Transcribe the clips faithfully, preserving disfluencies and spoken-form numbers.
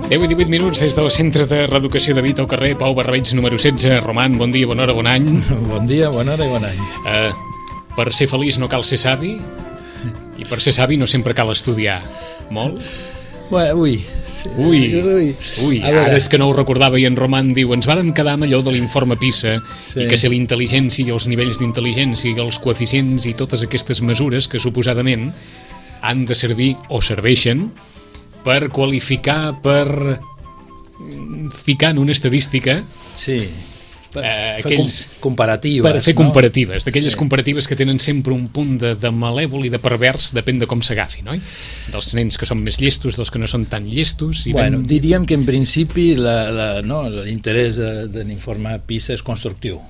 deu i divuit minuts des del Centre de Reeducació de Vita al carrer Pau Barreig, número setze. Roman, bon dia, bona hora, bon any. Bon dia, bona hora i bon any. Uh, per ser feliç no cal ser savi, i per ser savi no sempre cal estudiar molt. Bueno, ui. Ui, ui, ui. Ara és que no ho recordava i en Roman diu ens vàrem quedar amb allò de l'informe PISA, sí. I que si la intel·ligència i els nivells d'intel·ligència i els coeficients i totes aquestes mesures que suposadament han de servir o serveixen per qualificar, per ficar en una estadística, sí, per eh, fer aquells, comparatives, per fer no? comparatives, d'aquelles sí. comparatives que tenen sempre un punt de, de malèvol i de pervers, depèn de com s'agafi, no? Dels nens que són més llestos, dels que no són tan llestos. I bueno, ben... diríem que en principi la, la, no, l'interès de, de l'informe PISA és constructiu.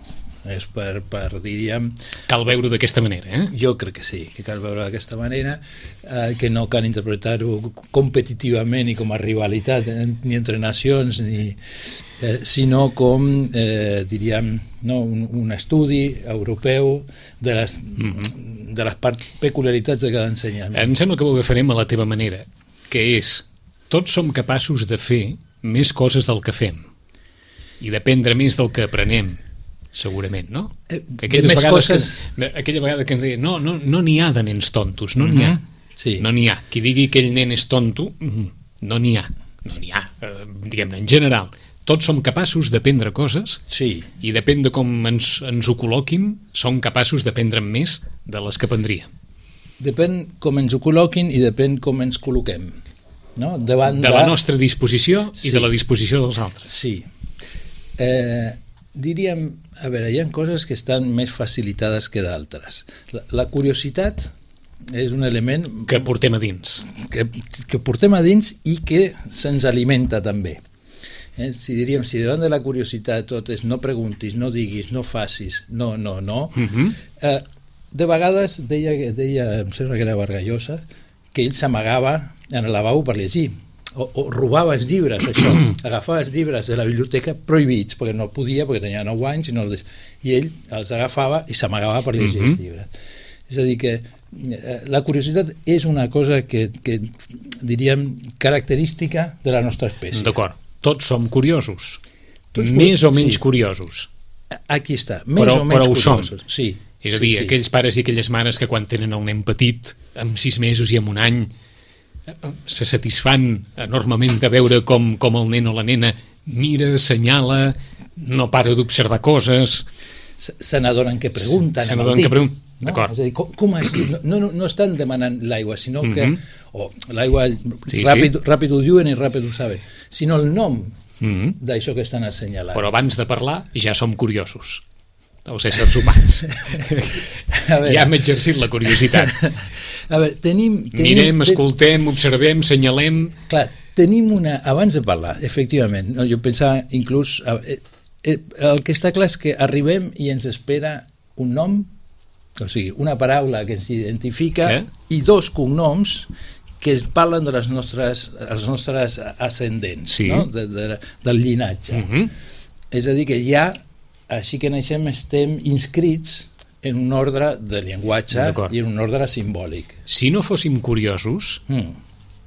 És per, per, diríem... Cal veure d'aquesta manera, eh? Jo crec que sí, que cal veure d'aquesta manera, eh, que no cal interpretar-ho competitivament i com a rivalitat, eh, ni entre nacions, ni, eh, sinó com, eh, diríem, no, un, un estudi europeu de les, mm-hmm. de les part, peculiaritats de cada ensenyament. Em sembla que ho agafarem a la teva manera, que és, tots som capaços de fer més coses del que fem i d'aprendre més del que aprenem, segurament, no? Eh, aquelles més vegades coses... que, aquella vegada que ens deia no, no, no n'hi ha de nens tontos, no n'hi ha, sí. no n'hi ha, qui digui que aquell nen és tonto, no n'hi ha, no n'hi ha, eh, diguem-ne, en general tots som capaços d'aprendre coses, sí. I depèn de com ens, ens ho col·loquin, som capaços d'aprendre més de les que aprendríem. Depèn com ens ho col·loquin i depèn com ens col·loquem, no? Davant de la nostra disposició sí. I de la disposició dels altres. Sí. Eh, diríem, a veure, hi ha coses que estan més facilitades que d'altres. La, la curiositat és un element... Que portem a dins. Que, que portem a dins i que se'ns alimenta també. Eh? Si diríem, si davant de la curiositat tot és no preguntis, no diguis, no facis, no, no, no... Uh-huh. eh, de vegades deia, deia, em sembla que era Vargallosa, que ell s'amagava en el lavabo per llegir. O, o robava els llibres, això, agafava els llibres de la biblioteca prohibits, perquè no podia, perquè tenia nou anys, i, no els... i ell els agafava i s'amagava per llegir mm-hmm. els llibres. És a dir, que eh, la curiositat és una cosa que, que, diríem, característica de la nostra espècie. D'acord, tots som curiosos, tots més o menys sí. curiosos. Aquí està, més però, o menys però ho curiosos. Som. Sí, és a dir, sí, sí. aquells pares i aquelles mares que quan tenen el nen petit, amb sis mesos i amb un any, se satisfan enormement de veure com, com el nen o la nena mira, assenyala, no para d'observar coses, se n'adonen que pregunten, se n'adonen que pregunten, no? D'acord. És a dir, com, com és? No, no, no estan demanant l'aigua, sinó que mm-hmm. o oh, l'aigua sí, ràpid, sí. ràpid ho diuen i ràpid ho saben, sinó el nom mm-hmm. d'això que estan assenyalant. Però abans de parlar ja som curiosos, els éssers humans. Veure, ja hem exercit la curiositat. A veure, tenim, tenim, mirem, escoltem, observem, senyalem... Clar, tenim una... Abans de parlar, efectivament, no, jo pensava inclús... Eh, eh, el que està clar és que arribem i ens espera un nom, o sigui, una paraula que ens identifica Què? I dos cognoms que es parlen de les nostres, els nostres ascendents, sí. No? de, de, del llinatge. Uh-huh. És a dir, que ja, així que naixem, estem inscrits en un ordre de llenguatge i en un ordre simbòlic. Si no fóssim curiosos, mm.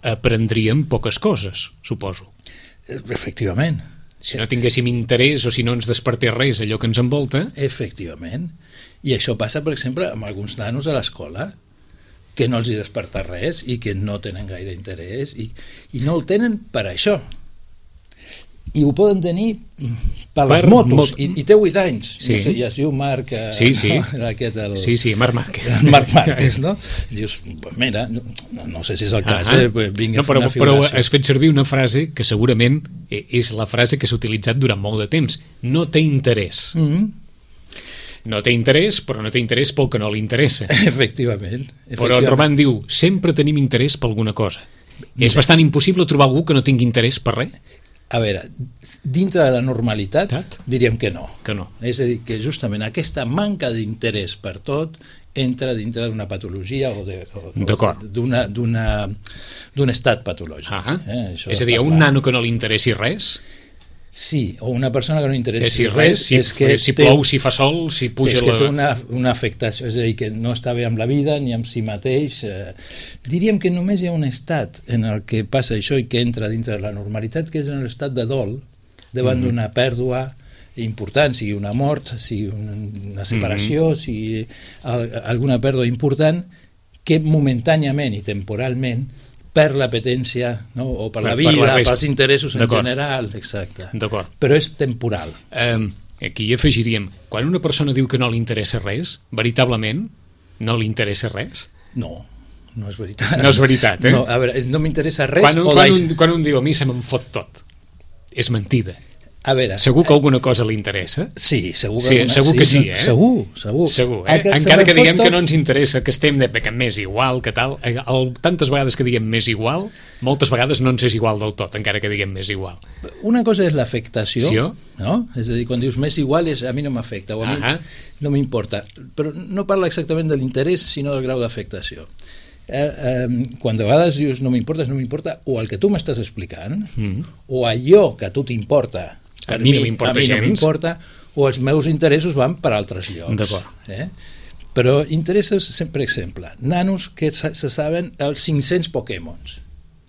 aprendríem poques coses, suposo. Efectivament. Si no tinguéssim interès o si no ens despertés res allò que ens envolta... Efectivament. I això passa, per exemple, amb alguns nanos a l'escola, que no els hi desperta res i que no tenen gaire interès i, i no el tenen per això. I ho poden tenir per, per les motos, mot... I, i té vuit anys. Sí. No sé, ja es diu Marc... Sí, sí. No, aquest, el... sí, sí, Marc Márquez. Marc Márquez, no? Dius, mira, no, no sé si és el cas, ah, eh? Vinc no, però, però has fet servir una frase que segurament és la frase que s'ha utilitzat durant molt de temps. No té interès. Mm-hmm. No té interès, però no té interès pel que no li interessa. Efectivament. Efectivament. Però en Roman diu, sempre tenim interès per alguna cosa. Mira. És bastant impossible trobar algú que no tingui interès per res? A veure, dintre de la normalitat, Tat? diríem que no. Que no. És a dir, que justament aquesta manca d'interès per tot entra dintre d'una patologia o d'un estat patològic. Ah, eh? és a dir, a un nano que no li interessi res, Sí, o una persona que no interessa si res, si, és que si té, plou, si fa sol, si puja és que la... té una, una afectació, és a dir, que no està bé amb la vida ni amb si mateix. Eh, diríem que només hi ha un estat en el que passa això i que entra dintre de la normalitat, que és en l'estat de dol, davant mm-hmm. d'una pèrdua important, sigui una mort, sigui una separació, mm-hmm. sigui alguna pèrdua important, que momentàniament i temporalment per l'apetència, no? O per, per la vida, per pels interessos en general, exacte. Però és temporal. Um, aquí hi afegiríem, quan una persona diu que no li interessa res, veritablement no li interessa res? No, no és veritat. No és veritat, eh? No, a veure, no m'interessa res... Quan, o quan, un, quan un diu a mi se me'n fot tot, és mentida. A veure, segur que alguna cosa li interessa? Sí, segur que, sí, alguna, segur que sí, sí, eh? Segur, segur. segur eh? Encara que diguem tot... que no ens interessa, que estem de que més igual, que tal, el, tantes vegades que diguem més igual, moltes vegades no ens és igual del tot, encara que diguem més igual. Una cosa és l'afectació, sí, no? És a dir, quan dius més igual, és, a mi no m'afecta, o a mi no m'importa. Però no parla exactament de l'interès, sinó del grau d'afectació. Eh, eh, quan de vegades dius no m'importa, no m'importa, o el que tu m'estàs explicant, mm. o allò que a tu t'importa, a mi no m'importa gens. A mi no m'importa, o els meus interessos van per altres llocs. D'acord. Eh? Però interessos, per exemple, nanos que se, se saben els cinc-cents Pokémons.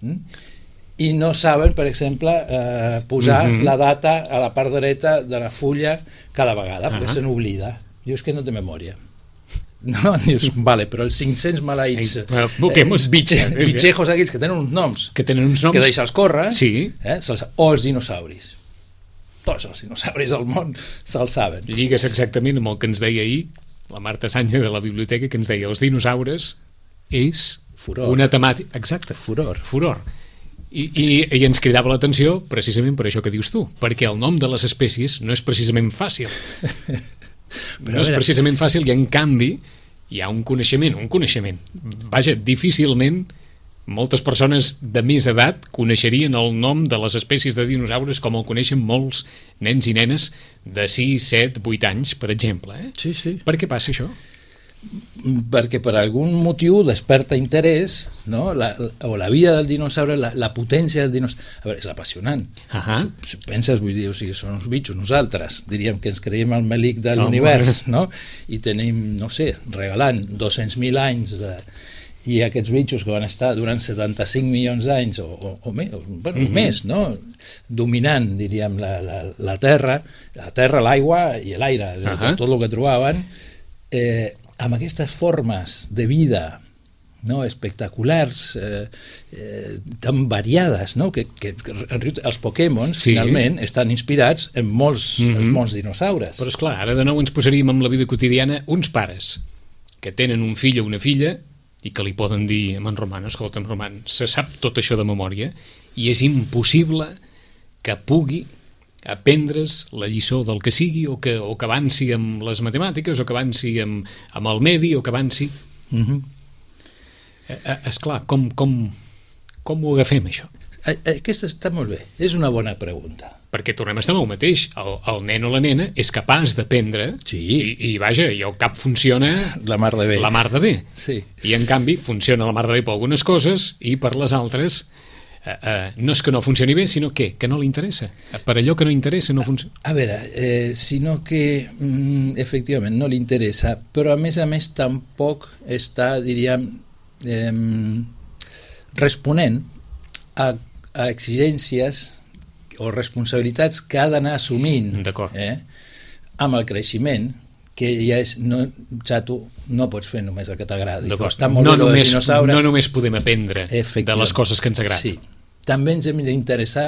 Mm? I no saben, per exemple, eh, posar mm-hmm. la data a la part dreta de la fulla cada vegada, perquè uh-huh. se n'oblida. Dius que no té memòria. No, dius, vale, però els cinc-cents maleïts eh, Pokémons, bitxe, bitxejos aquells que tenen uns noms, que tenen uns noms, que deixa'ls córrer, sí. eh, o els dinosauris. Tots els dinosauris del món se'ls saben. Lligues exactament amb el que ens deia ahir la Marta Sanya de la biblioteca, que ens deia els dinosaures és furor. Una temàtica... Exacte. Furor. Furor. I, i, i ens cridava l'atenció precisament per això que dius tu, perquè el nom de les espècies no és precisament fàcil. Però no és precisament fàcil i en canvi hi ha un coneixement, un coneixement. Vaja, difícilment moltes persones de més edat coneixerien el nom de les espècies de dinosaures com el coneixen molts nens i nenes de sis, set, vuit anys, per exemple. Eh? Sí, sí. Per què passa això? Perquè per algun motiu desperta interès, no? la, o la vida del dinosaure, la, la potència del dinosaure. A veure, és apassionant. Uh-huh. Si, si penses, vull dir, o sigui, són uns bitxos, nosaltres diríem que ens creiem el melic de l'univers, no? I tenim, no sé, regalant dos-cents mil anys de... i aquests bitxos que van estar durant setanta-cinc milions d'anys o, o, o, més, bueno, uh-huh. més, no? Dominant, diríem, la, la, la terra, la terra, l'aigua i l'aire, uh-huh. tot el que trobaven, eh, amb aquestes formes de vida, no? espectaculars, eh, eh, tan variades, no? que, que els Pokémons, sí. finalment, estan inspirats en molts, uh-huh. en molts dinosaures. Però esclar, ara de nou ens posaríem amb la vida quotidiana uns pares que tenen un fill o una filla i que li poden dir a en Roman, escolta, en Roman, se sap tot això de memòria i és impossible que pugui aprendre's la lliçó del que sigui o que, o que avanci amb les matemàtiques o que avanci amb, amb el medi o que avanci... Uh-huh. Eh, esclar, com, com, com ho agafem, això? Aquesta està molt bé, és una bona pregunta. Perquè tornem a estar amb el mateix, el, el nen o la nena és capaç d'aprendre sí. i, i vaja, i el cap funciona la mar de bé, la mar de bé. Sí. I en canvi funciona la mar de bé per algunes coses i per les altres eh, eh, no és que no funcioni bé, sinó que, que no li interessa, per allò que no interessa no funciona. A veure, eh, sinó que mm, efectivament no li interessa, però a més a més tampoc està, diríem, eh, responent a, a exigències o responsabilitats que ha d'anar assumint eh, amb el creixement, que ja és no, xato, no pots fer només el que t'agradi. No, només, no només podem aprendre de les coses que ens agraden. Sí. També ens hem d'interessar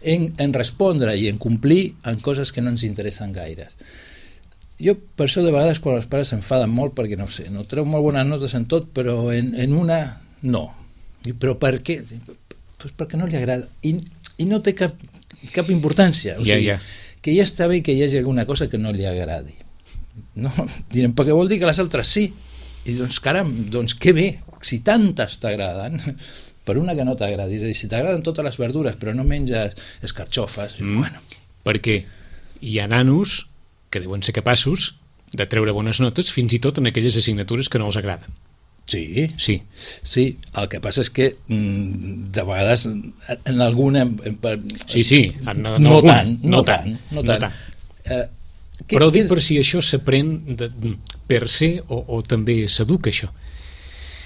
en, en respondre i en complir en coses que no ens interessen gaire. Jo, per això, de vegades, quan els pares s'enfaden molt, perquè, no sé, no treu molt bones notes en tot, però en, en una, no. I, però per què? Pues perquè no li agrada. I i no té cap, cap importància, o sigui, yeah, yeah. que ja està bé que hi hagi alguna cosa que no li agradi, no? Direm, perquè vol dir que les altres sí, i doncs caram, doncs què bé, si tantes t'agraden, per una que no t'agradi, és a dir, si t'agraden totes les verdures però no menges escarxofes, mm. bueno. Perquè hi ha nanos que deuen ser capaços de treure bones notes fins i tot en aquelles assignatures que no els agraden. Sí, sí, sí. El que passa és que mm, de vegades en alguna... Sí, sí, en, en no, alguna, tant, no, no tant, no tant. No tant. Eh, que, Però dic és... per si això s'aprèn per ser o, o també s'educa, això.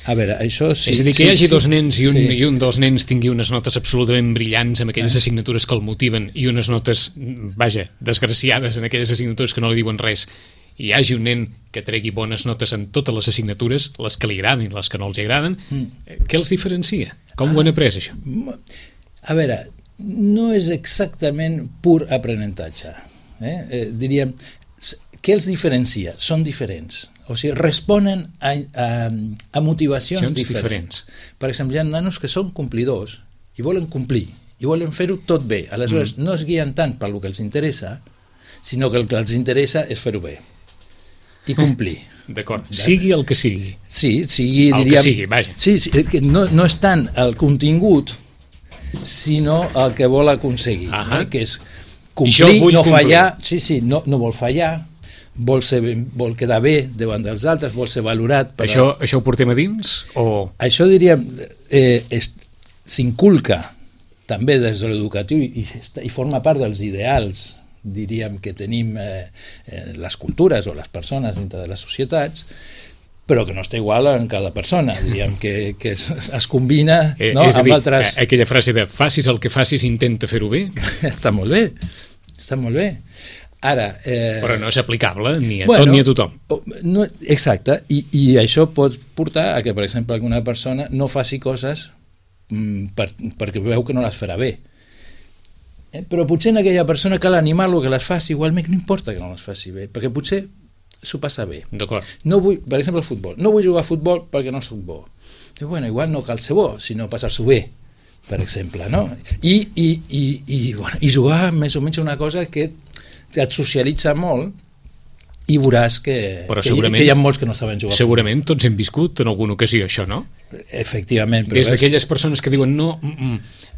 A veure, això sí... És a dir, que hi hagi sí, dos nens i un, sí. i un dels nens tingui unes notes absolutament brillants en aquelles eh? assignatures que el motiven i unes notes, vaja, desgraciades en aquelles assignatures que no li diuen res, i hi hagi un nen que tregui bones notes en totes les assignatures, les que li agraden i les que no els agraden, mm. què els diferencia? Com ah, ho han après, això? A veure, no és exactament pur aprenentatge. Eh? Eh, diríem, què els diferencia? Són diferents. O sigui, responen a, a, a motivacions diferents. diferents. Per exemple, hi ha nanos que són complidors i volen complir, i volen fer-ho tot bé. Aleshores, mm. no es guien tant per el que els interessa, sinó que el que els interessa és fer-ho bé i complir. D'acord, sigui el que sigui. Sí, sigui, el diríem... que sigui, vaja. Sí, sí, que no, no és tant el contingut, sinó el que vol aconseguir, eh? Que és complir, no complir. fallar, sí, sí, no, no vol fallar, vol, ser, vol quedar bé davant dels altres, vol ser valorat. Per això, a... això ho portem a dins? O... Això, diríem, eh, s'inculca també des de l'educatiu i, i forma part dels ideals, diríem, que tenim eh, les cultures o les persones dintre de les societats, però que no està igual en cada persona, diríem, que, que es, es combina eh, no, és a amb dir, altres... Aquella frase de facis el que facis, intenta fer-ho bé. Està molt bé, està molt bé. Ara... Eh... Però no és aplicable ni a bueno, tot ni a tothom. No, exacte, i, i això pot portar a que, per exemple, alguna persona no faci coses mm, per, perquè veu que no les farà bé. Eh? Però potser en aquella persona cal animar-lo que les faci, igualment no importa que no les faci bé, perquè potser s'ho passa bé. D'acord. No vull, per exemple, el futbol. No vull jugar a futbol perquè no soc bo. I, bueno, igual no cal ser bo, sinó passar-s'ho bé, per exemple, no? I, i, i, i, bueno, i jugar més o menys una cosa que et socialitza molt i veuràs que, que, que hi ha molts que no saben jugar. Segurament tots hem viscut en alguna ocasió això, no? Efectivament. Des d'aquelles persones que diuen no,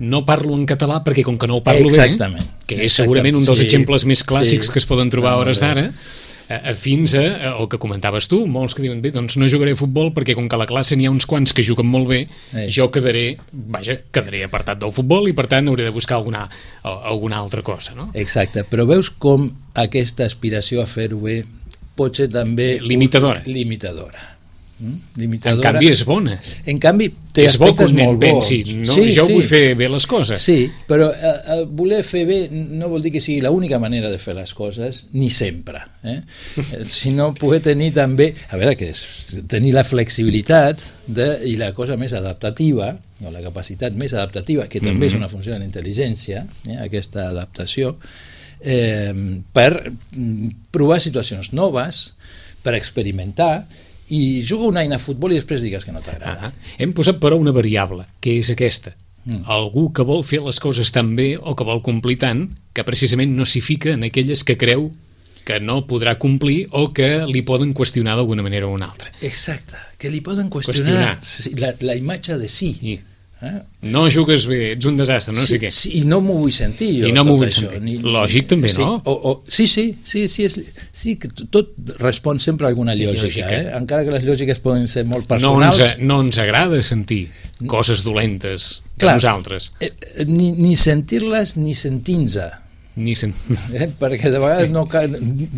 no parlo en català perquè com que no ho parlo exactament, bé, que és segurament un dels sí, exemples més clàssics sí, que es poden trobar a hores d'ara, fins a el que comentaves tu, molts que diuen bé, doncs no jugaré a futbol perquè com que a la classe n'hi ha uns quants que juguen molt bé, Ei. jo quedaré vaja, quedaré apartat del futbol i per tant hauré de buscar alguna, alguna altra cosa, no? Exacte, però veus com aquesta aspiració a fer-ho bé pot ser també limitadora. limitadora. Mm? limitadora. En canvi és bona. En canvi té és bo que aspectes un nen molt bons. pensi, no? Sí, jo sí. vull fer bé les coses. Sí, però eh, voler fer bé no vol dir que sigui l'única manera de fer les coses, ni sempre. Eh? Sinó poder tenir també, a veure, que és tenir la flexibilitat de, i la cosa més adaptativa, o la capacitat més adaptativa, que també mm-hmm. és una funció de la intel·ligència, eh? aquesta adaptació, eh, per provar situacions noves, per experimentar, i juga una eina a futbol i després digues que no t'agrada. Ah, hem posat però una variable, que és aquesta. Mm. Algú que vol fer les coses tan bé o que vol complir tant que precisament no s'hi fica en aquelles que creu que no podrà complir o que li poden qüestionar d'alguna manera o una altra. Exacte, que li poden qüestionar, qüestionar. La, la imatge de sí. I Eh? No jugues bé, ets un desastre, no sí, sé què. Sí, i no m'ho vull sentir jo. I no m'ho vull això, sentir. Ni, Lògic també, sí, no? O, o, sí, sí, sí, sí, és, sí, que tot respon sempre a alguna lògica, lògica. Eh? Encara que les lògiques poden ser molt personals. No ens, no ens agrada sentir coses dolentes de Clar, nosaltres. Eh, ni, ni sentir-les ni sentint-se. Ni sent... eh? Perquè de vegades no,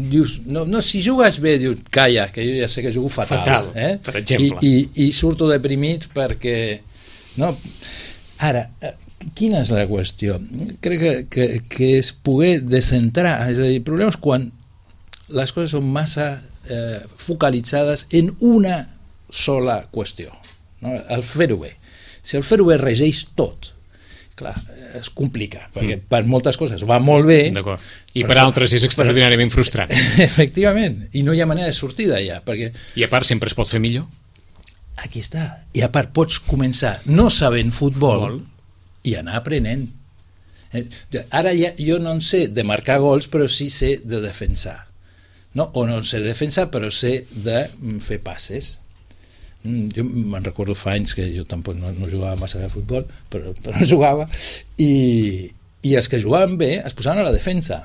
dius, no, no, si jugues bé, dius, calla, que jo ja sé que jugo fatal. Fatal, eh? per exemple. I, i, i surto deprimit perquè... No? Ara, quina és la qüestió? Crec que, que, que és poder descentrar, és a dir, el problema és quan les coses són massa eh, focalitzades en una sola qüestió, no? El fer-ho bé. Si el fer-ho bé regeix tot, clar, es complica, perquè mm. per moltes coses va molt bé. D'acord. I per altres és extraordinàriament per... frustrant. Efectivament, i no hi ha manera de sortir d'allà. Perquè... I a part sempre es pot fer millor. Aquí està. I a part pots començar no sabent futbol Vol. i anar aprenent. Ara ja, jo no en sé de marcar gols, però sí sé de defensar. No? O no sé de defensar, però sé de fer passes. Jo me'n recordo fa anys que jo tampoc no, no jugava massa a futbol, però, però jugava, i, i els que jugaven bé es posaven a la defensa.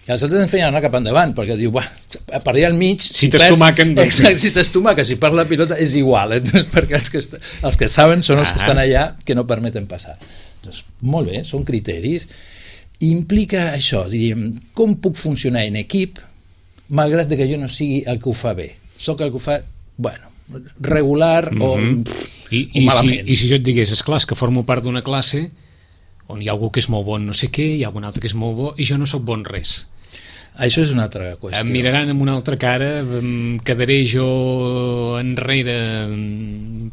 I els altres ens feien anar cap endavant, perquè diu, buah, per allà al mig... Si t'estomaquen... Doncs... Exacte, si t'estomaquen, si per la pilota és igual, eh? Perquè els que, est... els que saben són els ah. que estan allà que no permeten passar. Doncs molt bé, són criteris. Implica això, diríem, com puc funcionar en equip, malgrat que jo no sigui el que ho fa bé. Soc el que ho fa, bueno, regular mm-hmm. o, pff, I, o i malament. Si, I si jo et digués, esclar, és que formo part d'una classe on hi ha algú que és molt bon no sé què, hi ha algun altre que és molt bo, i jo no sóc bon res. Això és una altra qüestió. Em miraran amb una altra cara, em quedaré jo enrere...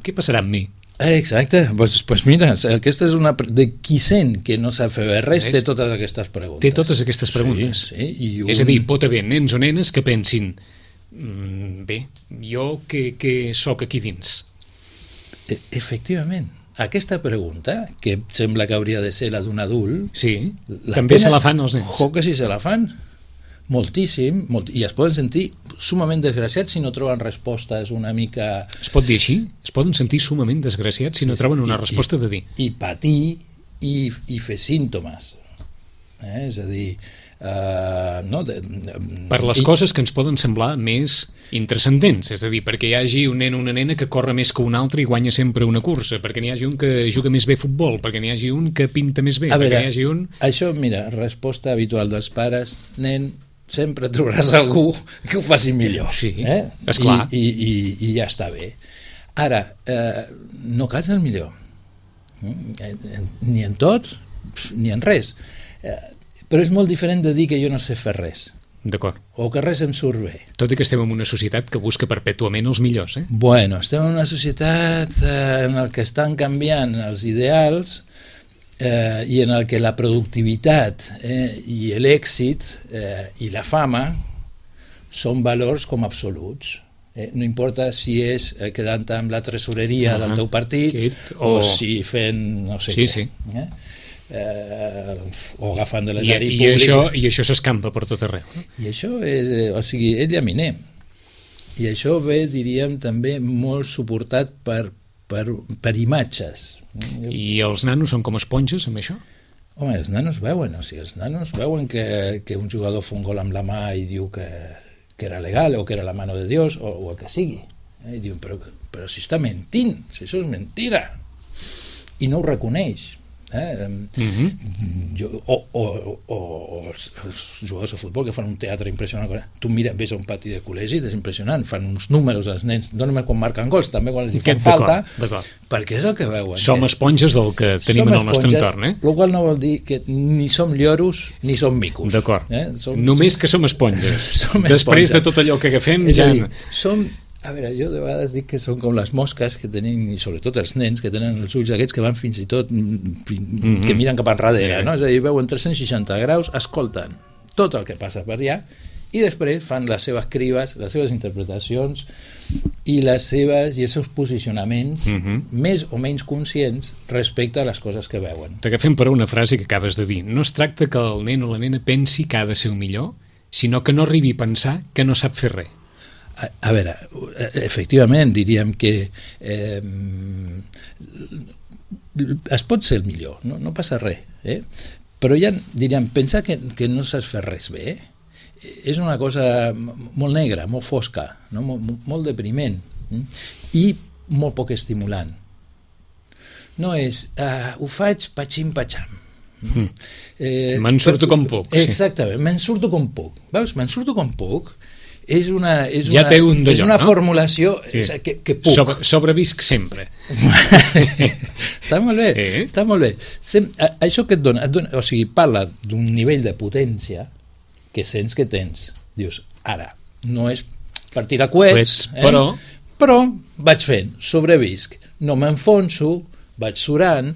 Què passarà amb mi? Exacte, doncs pues, pues mira, aquesta és una... De qui sent que no sap fer res té totes aquestes preguntes. Té totes aquestes preguntes. Sí, sí, i un... És a dir, pot haver nens o nenes que pensin bé, jo que, que sóc aquí dins. E Efectivament. Aquesta pregunta, que sembla que hauria de ser la d'un adult... Sí, també se la fan els nens. Jo que sí se la fan. Moltíssim, molt, i es poden sentir sumament desgraciats si no troben respostes una mica... Es pot dir així? Es poden sentir sumament desgraciats si no sí, troben una i, resposta i, de dir. I patir i, i fer símptomes. Eh? És a dir... Uh, no, de, de, per les i... coses que ens poden semblar més intrascendents, és a dir, perquè hi hagi un nen o una nena que corre més que un altre i guanya sempre una cursa, perquè n'hi hagi un que juga més bé a futbol, perquè n'hi hagi un que pinta més bé, a perquè veure, n'hi hagi un... Això, mira, resposta habitual dels pares, nen, sempre trobaràs algú que ho faci millor. Sí, eh? esclar. I, i, i, i ja està bé. Ara, eh, no cal ser el millor. Ni en tot, ni en res. Eh, però és molt diferent de dir que jo no sé fer res. D'acord. O que res em surt bé. Tot i que estem en una societat que busca perpètuament els millors, eh? Bueno, estem en una societat eh, en la que estan canviant els ideals eh, i en el que la productivitat eh, i l'èxit eh, i la fama són valors com absoluts. Eh, no importa si és eh, quedant amb la tresoreria ah, del teu partit Kit, o... o si fent no sé sí, què. Sí. Eh? Eh, o agafant de l'erari públic. I això, i això s'escampa per tot arreu. No? I això és, eh, o sigui, és llaminer. I això ve, diríem, també molt suportat per, per, per imatges. I els nanos són com esponges amb això? Home, els nanos veuen, o sigui, els nanos veuen que, que un jugador fa un gol amb la mà i diu que, que era legal o que era la mano de Dios o, o el que sigui. Eh? I diuen, però, però si està mentint, si això és mentira. I no ho reconeix. Eh? Mm-hmm. jo, o, o, o, o els, els jugadors de futbol que fan un teatre impressionant. Tu mira, ves a un pati de col·legi, és impressionant, fan uns números els nens, no només quan marquen gols, també quan els hi fan falta, perquè és el que veuen. Som eh? esponges del que tenim som en el nostre esponges, entorn, eh? El qual no vol dir que ni som lloros ni som micos. D'acord. Eh? Som, Només que som esponges. som Després esponges. de tot allò que agafem és ja... Dir, som A veure, jo de vegades dic que són com les mosques que tenen, i sobretot els nens, que tenen els ulls aquests que van fins i tot fin, mm-hmm. que miren cap enrere, no? És a dir, veuen tres cents seixanta graus, escolten tot el que passa per allà i després fan les seves crides, les seves interpretacions i les seves i els seus posicionaments mm-hmm. més o menys conscients respecte a les coses que veuen. T'agafem per una frase que acabes de dir. No es tracta que el nen o la nena pensi que ha de ser el millor, sinó que no arribi a pensar que no sap fer res. A, a veure, efectivament diríem que eh, es pot ser el millor, no, no passa res, eh? Però ja diríem, pensar que, que no saps fer res bé és una cosa molt negra, molt fosca, no? molt, molt depriment eh? I molt poc estimulant. No és, uh, ho faig patxim-patxam. Mm. Eh, me'n surto com puc. Exactament, sí. me'n surto com puc. Veus, me'n surto com puc és una, és ja una, un és una no? formulació sí. que, que puc. Sobre, sobrevisc sempre. Està molt bé, eh? està molt bé. Sem, a, això que et dona, et dona, o sigui, parla d'un nivell de potència que sents que tens. Dius, ara, no és per tirar coets, eh? però... però vaig fent, sobrevisc, no m'enfonso, vaig surant,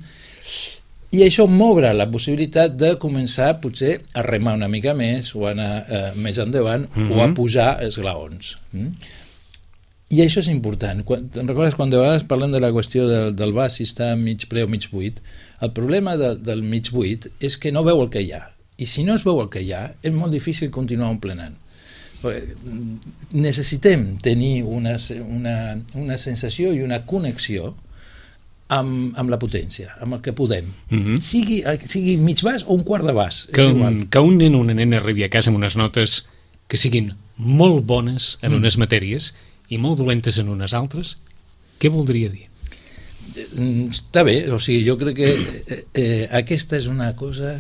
i això m'obre la possibilitat de començar potser a remar una mica més o anar eh, més endavant mm-hmm. o a pujar esglaons. Mm? I això és important. Quan, te'n recordes quan de vegades parlem de la qüestió del, del vas si està mig ple o mig buit? El problema de, del mig buit és que no veu el que hi ha. I si no es veu el que hi ha, és molt difícil continuar omplenant. Necessitem tenir una, una, una sensació i una connexió amb, amb la potència, amb el que podem. Mm-hmm. Sigui, sigui mig bas o un quart de bas. Que un, que un nen o una nena arribi a casa amb unes notes que siguin molt bones en mm. unes matèries i molt dolentes en unes altres, què voldria dir? Està bé, o sigui, jo crec que eh, eh, aquesta és una cosa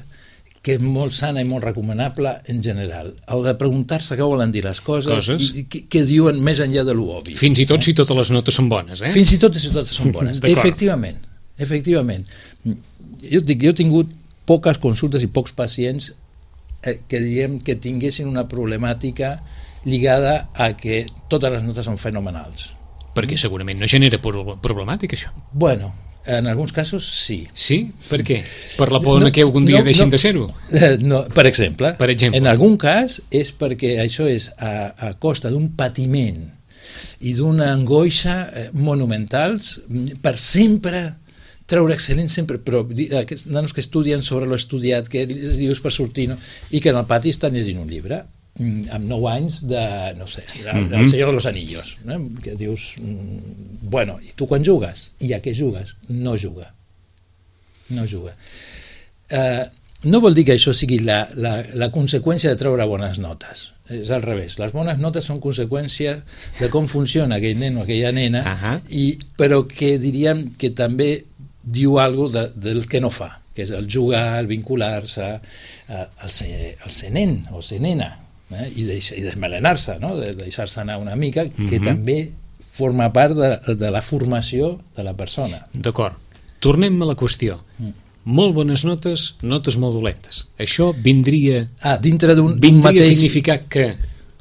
que és molt sana i molt recomanable en general. El de preguntar-se què volen dir les coses, coses? i què, què diuen més enllà de l'obvi. Fins i tot eh? si totes les notes són bones, eh? Fins i tot si totes són bones. Efectivament, efectivament. Jo dic, jo he tingut poques consultes i pocs pacients eh, que diguem que tinguessin una problemàtica lligada a que totes les notes són fenomenals. Perquè segurament no genera problemàtica, això. Bueno, en alguns casos sí. Sí? Per què? Per la por no, que algun dia no, deixin no, de ser-ho? No, per exemple, per exemple, en algun cas és perquè això és a, a costa d'un patiment i d'una angoixa monumentals per sempre treure excel·lent sempre, però aquests nanos que estudien sobre l'estudiat, que els dius per sortir, no? I que en el pati estan llegint un llibre amb nou anys de, no sé, el mm-hmm. Senyor de los Anillos, no? Que dius, bueno, i tu quan jugues? I a què jugues? No juga. No juga. Eh, no vol dir que això sigui la, la, la conseqüència de treure bones notes. És al revés. Les bones notes són conseqüència de com funciona aquell nen o aquella nena, uh-huh. i, però que diríem que també diu alguna cosa de, del que no fa, que és el jugar, el vincular-se, eh, el, ser, el ser nen o ser nena, eh? I, deix, i desmelenar-se, no? De deixar-se anar una mica, que uh-huh. també forma part de, de la formació de la persona. D'acord. Tornem a la qüestió. Mm. Molt bones notes, notes molt dolentes. Això vindria... Ah, dintre d'un vindria mateix... a significar que,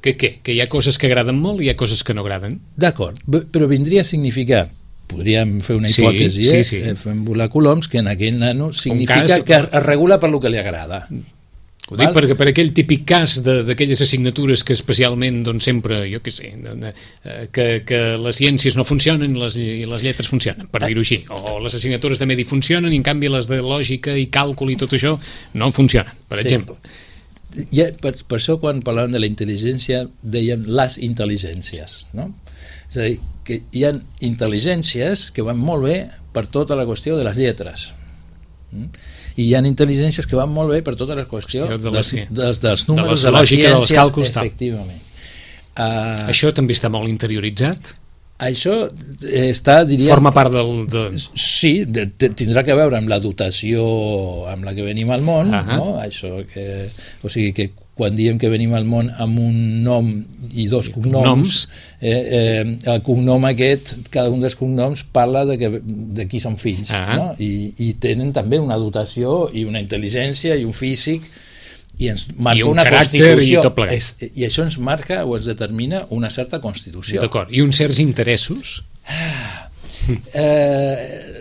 que què? Que hi ha coses que agraden molt i hi ha coses que no agraden? D'acord, però vindria a significar, podríem fer una hipòtesi, sí, eh? sí, sí. Fem volar coloms, que en aquell nano significa cas... que es regula per lo que li agrada. Ho dic perquè per aquell típic cas d'aquelles assignatures que especialment, doncs sempre, jo què sé, que, que les ciències no funcionen i les, i les lletres funcionen, per dir-ho així, o les assignatures de medi funcionen i en canvi les de lògica i càlcul i tot això no funcionen, per sí. exemple. I per, per això quan parlàvem de la intel·ligència dèiem les intel·ligències, no? És a dir, que hi ha intel·ligències que van molt bé per tota la qüestió de les lletres, mm? i hi ha intel·ligències que van molt bé per tota la qüestió, qüestió de les, dels, dels números, de, de la lògica, ciències, dels càlculs, efectivament. Uh, això també està molt interioritzat? Això està, diríem... Forma part del... De... Sí, de, de, tindrà que veure amb la dotació amb la que venim al món, uh-huh. no? Això que, o sigui que quan diem que venim al món amb un nom i dos I cognoms, cognoms. Eh, eh, el cognom aquest, cada un dels cognoms parla de, que, de qui són fills, uh-huh. no? I, i tenen també una dotació i una intel·ligència i un físic i ens marca I un una constitució i, és, i això ens marca o ens determina una certa constitució. D'acord, i uns certs interessos? Ah, eh,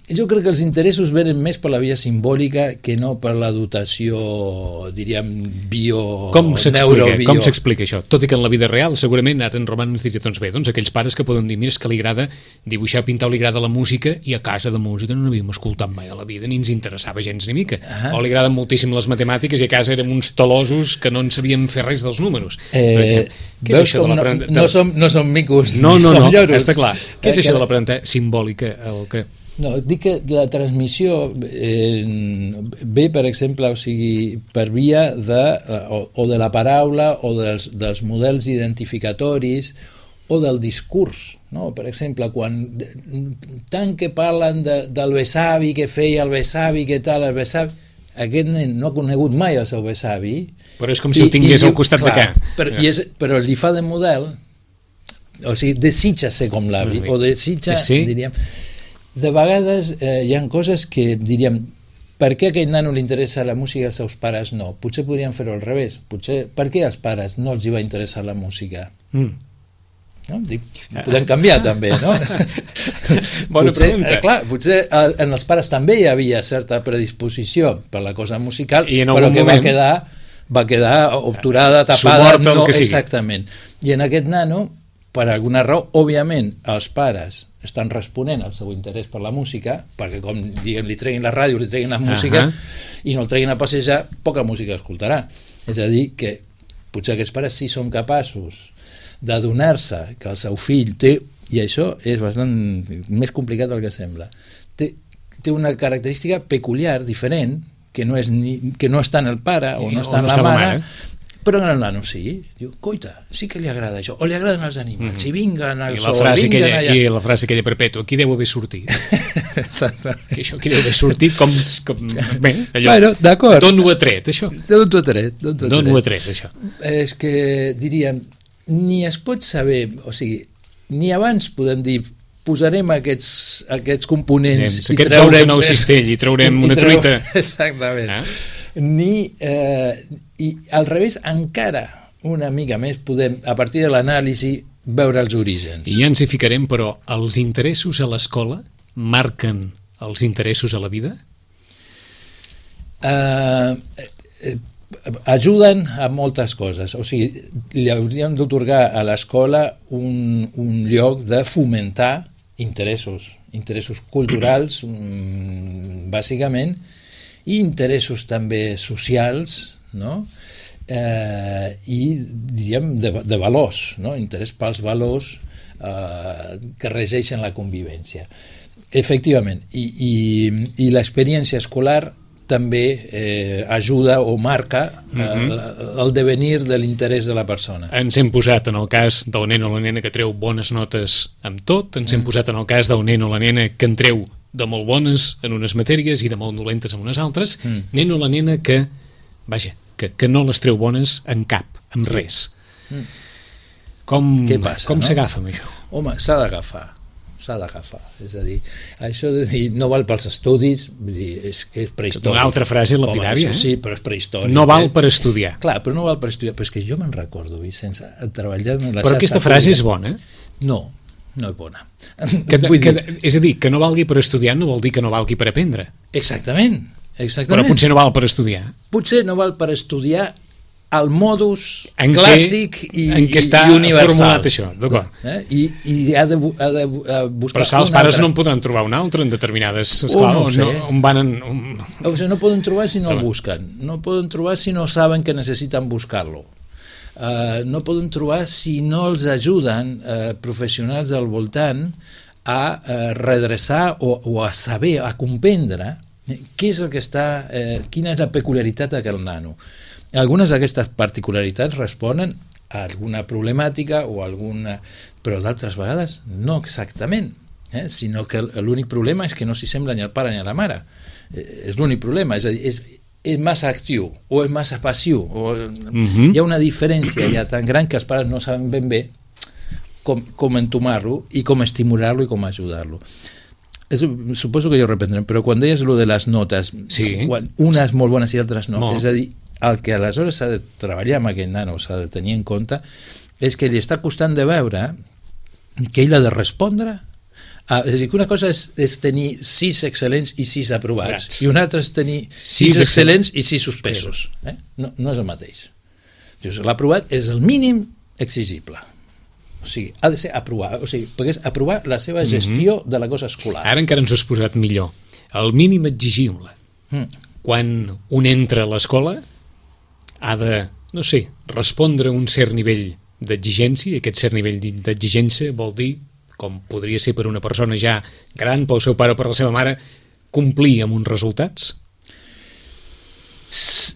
jo crec que els interessos venen més per la via simbòlica que no per la dotació, diríem, bio... Com s'explica com s'explica això? Tot i que en la vida real segurament ara en Roman ens diria, doncs bé, doncs aquells pares que poden dir, mira, és que li agrada dibuixar, pintar o li agrada la música i a casa de música no n'havíem escoltat mai a la vida ni ens interessava gens ni mica. Ah. O li agraden moltíssim les matemàtiques i a casa érem uns talosos que no en sabíem fer res dels números. Eh, Què és això de l'aprenentatge? No, no, som, no som micos, no, no, som no, lloros. Està clar. Què és eh, això que... de l'aprenentatge simbòlica? El que... No, dic que la transmissió eh, ve, per exemple, o sigui, per via de, o, o de la paraula o dels, dels models identificatoris o del discurs, no? Per exemple, quan tant que parlen de, del besavi que feia el besavi, que tal, el besavi, aquest nen no ha conegut mai el seu besavi, però és com si i, el tingués i, al costat clar, de què però, i és, però li fa de model, o sigui, desitja ser com l'avi, o desitja, sí? diríem. De vegades eh, hi ha coses que diríem, per què a aquell nano li interessa la música i als seus pares no? Potser podríem fer-ho al revés. Potser, per què als pares no els hi va interessar la música? Mm. No? Dic, podem canviar també, no? Bona potser, pregunta. Eh, clar, potser en els pares també hi havia certa predisposició per la cosa musical, però que moment... va quedar, va quedar obturada, tapada. Suporta el no, que sigui. Exactament. I en aquest nano, per alguna raó, òbviament, els pares estan responent al seu interès per la música, perquè com diguem, li treguin la ràdio, li treguin la música, uh-huh. i no el treguin a passejar, poca música escoltarà. És a dir, que potser aquests pares sí són capaços d'adonar-se que el seu fill té, i això és bastant més complicat del que sembla, té té una característica peculiar, diferent, que no, és ni, que no està en el pare o no està o en no la està mare, la mare, però en el nano sí. Diu, coita, sí que li agrada això, o li agraden els animals, mm-hmm. i vinguen al I sol, la frase vinguen aquella, allà. I la frase aquella perpètua, aquí deu haver sortit. Exactament. Que això aquí deu haver sortit com... com bé, allò, bueno, d'acord. D'on ho ha tret, això? D'on t'ho ha tret, d'on t'ho ha D'on ho ha tret. tret, això? És que, diríem, ni es pot saber, o sigui, ni abans podem dir posarem aquests, aquests components Anem, aquests ous en el cistell i traurem una treu... truita. Exactament. Eh? Ni, eh, i al revés, encara una mica més podem, a partir de l'anàlisi, veure els orígens. I ja ens hi ficarem, però els interessos a l'escola marquen els interessos a la vida? Uh, eh, ajuden a moltes coses. O sigui, li hauríem d'otorgar a l'escola un, un lloc de fomentar interessos, interessos culturals, bàsicament, i interessos també socials, no? Eh, i diríem de, de valors, no? Interès pels valors eh, que regeixen la convivència. Efectivament, i, i, i l'experiència escolar també eh, ajuda o marca eh, mm-hmm. el devenir de l'interès de la persona. Ens hem posat en el cas del nen o la nena que treu bones notes amb tot, ens mm. hem posat en el cas del nen o la nena que en treu de molt bones en unes matèries i de molt dolentes en unes altres, mm. nen o la nena que, vaja, que, que no les treu bones en cap, en res. Mm. Com, passa, com no? s'agafa amb això? Home, s'ha d'agafar, s'ha d'agafar. És a dir, això de dir no val pels estudis, vull dir, és, és prehistòric. Una altra frase lapidària, Home, eh? Sí, però és prehistòric. No val eh? per estudiar. Clar, però no val per estudiar. Però és que jo me'n recordo, Vicenç, treballant en la Però aquesta frase és bona. No, no és bona. Que, Vull que, dir... És a dir, que no valgui per estudiar no vol dir que no valgui per aprendre. Exactament, exactament. Però potser no val per estudiar. Potser no val per estudiar el modus en clàssic què, i, en què està i universal. Formulat això, d'acord. Eh? I, i ha de, ha de buscar... Però esclar, els pares altre. no en podran trobar un altre en determinades... Oh, Esclar, no on, no, on van en... On... O sigui, no poden trobar si no Home. el busquen. No poden trobar si no saben que necessiten buscar-lo. Uh, no poden trobar si no els ajuden uh, professionals del voltant a uh, redreçar o, o a saber, a comprendre eh, què és el que està... Eh, quina és la peculiaritat d'aquest nano. Algunes d'aquestes particularitats responen a alguna problemàtica o alguna... però d'altres vegades no exactament, eh? Sinó que l'únic problema és que no s'hi sembla ni al pare ni a la mare. Eh, és l'únic problema, és a dir, és, és massa actiu o és massa passiu. O... Mm-hmm. Hi ha una diferència ja tan gran que els pares no saben ben bé com, com entomar-lo i com estimular-lo i com ajudar-lo. És, suposo que ja ho reprendrem, però quan deies lo de les notes, sí. quan unes molt bones i altres no, molt. És a dir, el que aleshores s'ha de treballar amb aquest nano, s'ha de tenir en compte, és que li està costant de veure que ell ha de respondre a, és a dir, que una cosa és, és tenir sis excel·lents i sis aprovats, Grats. I una altra és tenir sis, sis excel·lents i sis suspesos. Eh? No, no és el mateix. L'aprovat és el mínim exigible. O sigui, ha de ser aprovat, o sigui, perquè és aprovar la seva gestió mm-hmm. de la cosa escolar. Ara encara ens ho has posat millor. El mínim exigible. Mm. Quan un entra a l'escola ha de, no sé, respondre a un cert nivell d'exigència, i aquest cert nivell d'exigència vol dir, com podria ser per una persona ja gran, pel seu pare o per la seva mare, complir amb uns resultats?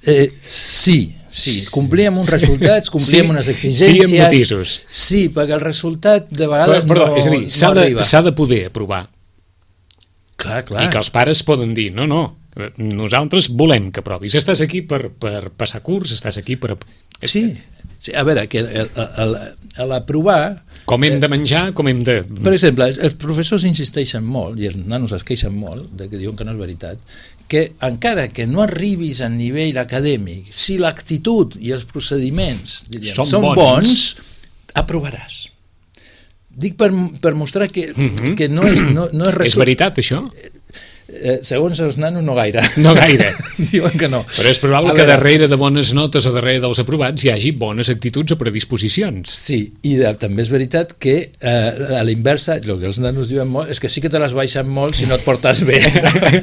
Eh, sí, sí, complir amb uns resultats, complir sí, amb unes exigències... Sí, amb matisos. Sí, perquè el resultat de vegades però, però, no, és a dir, s'ha no de, arriba. S'ha de poder aprovar. Clar, clar. I que els pares poden dir, no, no, nosaltres volem que provis. Estàs aquí per, per passar curs, estàs aquí per... Sí, sí, a veure, que l'aprovar... Com hem de menjar, com hem de... Per exemple, els professors insisteixen molt, i els nanos es queixen molt, de que diuen que no és veritat, que encara que no arribis a nivell acadèmic, si l'actitud i els procediments diríem, són, són bons, bons, aprovaràs. Dic per, per mostrar que, mm-hmm. que no és... No, no és, resol... és veritat, això? Eh, segons els nanos, no gaire. No gaire. Diuen que no. Però és probable a que veure, darrere de bones notes o darrere dels aprovats hi hagi bones actituds o predisposicions. Sí, i de, també és veritat que eh, a l'inversa, el que els nanos diuen molt, és que sí que te les baixen molt si no et portes bé.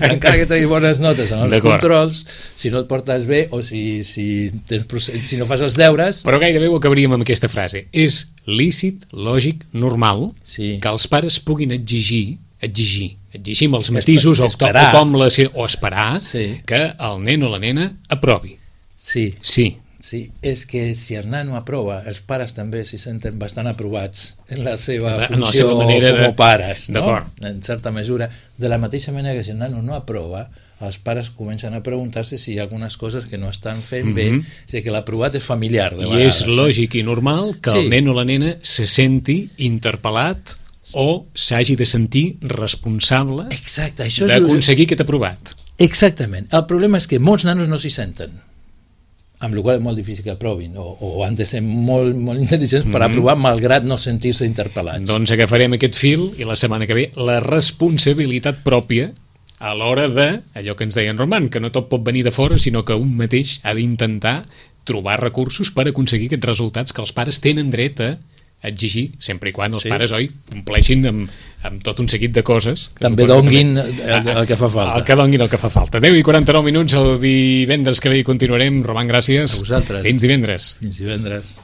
Encara que tinguis bones notes en els controls, si no et portes bé o si, si, tens, si no fas els deures... Però gairebé ho acabaríem amb aquesta frase. És lícit, lògic, normal, sí. que els pares puguin exigir exigir, exigim els matisos o, esperar. o, com la, o esperar sí. que el nen o la nena aprovi. Sí. Sí. Sí, és que si el nano aprova, els pares també s'hi senten bastant aprovats en la seva en funció la seva manera com a de... pares, no? D'acord. En certa mesura. De la mateixa manera que si el nano no aprova, els pares comencen a preguntar-se si hi ha algunes coses que no estan fent bé, mm -hmm. o sigui que l'aprovat és familiar de I és lògic i normal que sí. el nen o la nena se senti interpel·lat o s'hagi de sentir responsable d'aconseguir aquest aprovat. Exactament. El problema és que molts nanos no s'hi senten, amb la qual cosa és molt difícil que aprovin, o, o han de ser molt, molt intel·ligents per aprovar, mm -hmm. malgrat no sentir-se interpel·lats. Doncs agafarem aquest fil i la setmana que ve la responsabilitat pròpia a l'hora de, allò que ens deia en Roman, que no tot pot venir de fora, sinó que un mateix ha d'intentar trobar recursos per aconseguir aquests resultats que els pares tenen dret a exigir, sempre i quan els sí. pares, oi, compleixin amb, amb tot un seguit de coses. També donguin també, el, el que fa falta. El que donguin el que fa falta. deu i quaranta-nou minuts, el divendres que ve hi continuarem. Roman, gràcies. A vosaltres. Fins divendres. Fins divendres.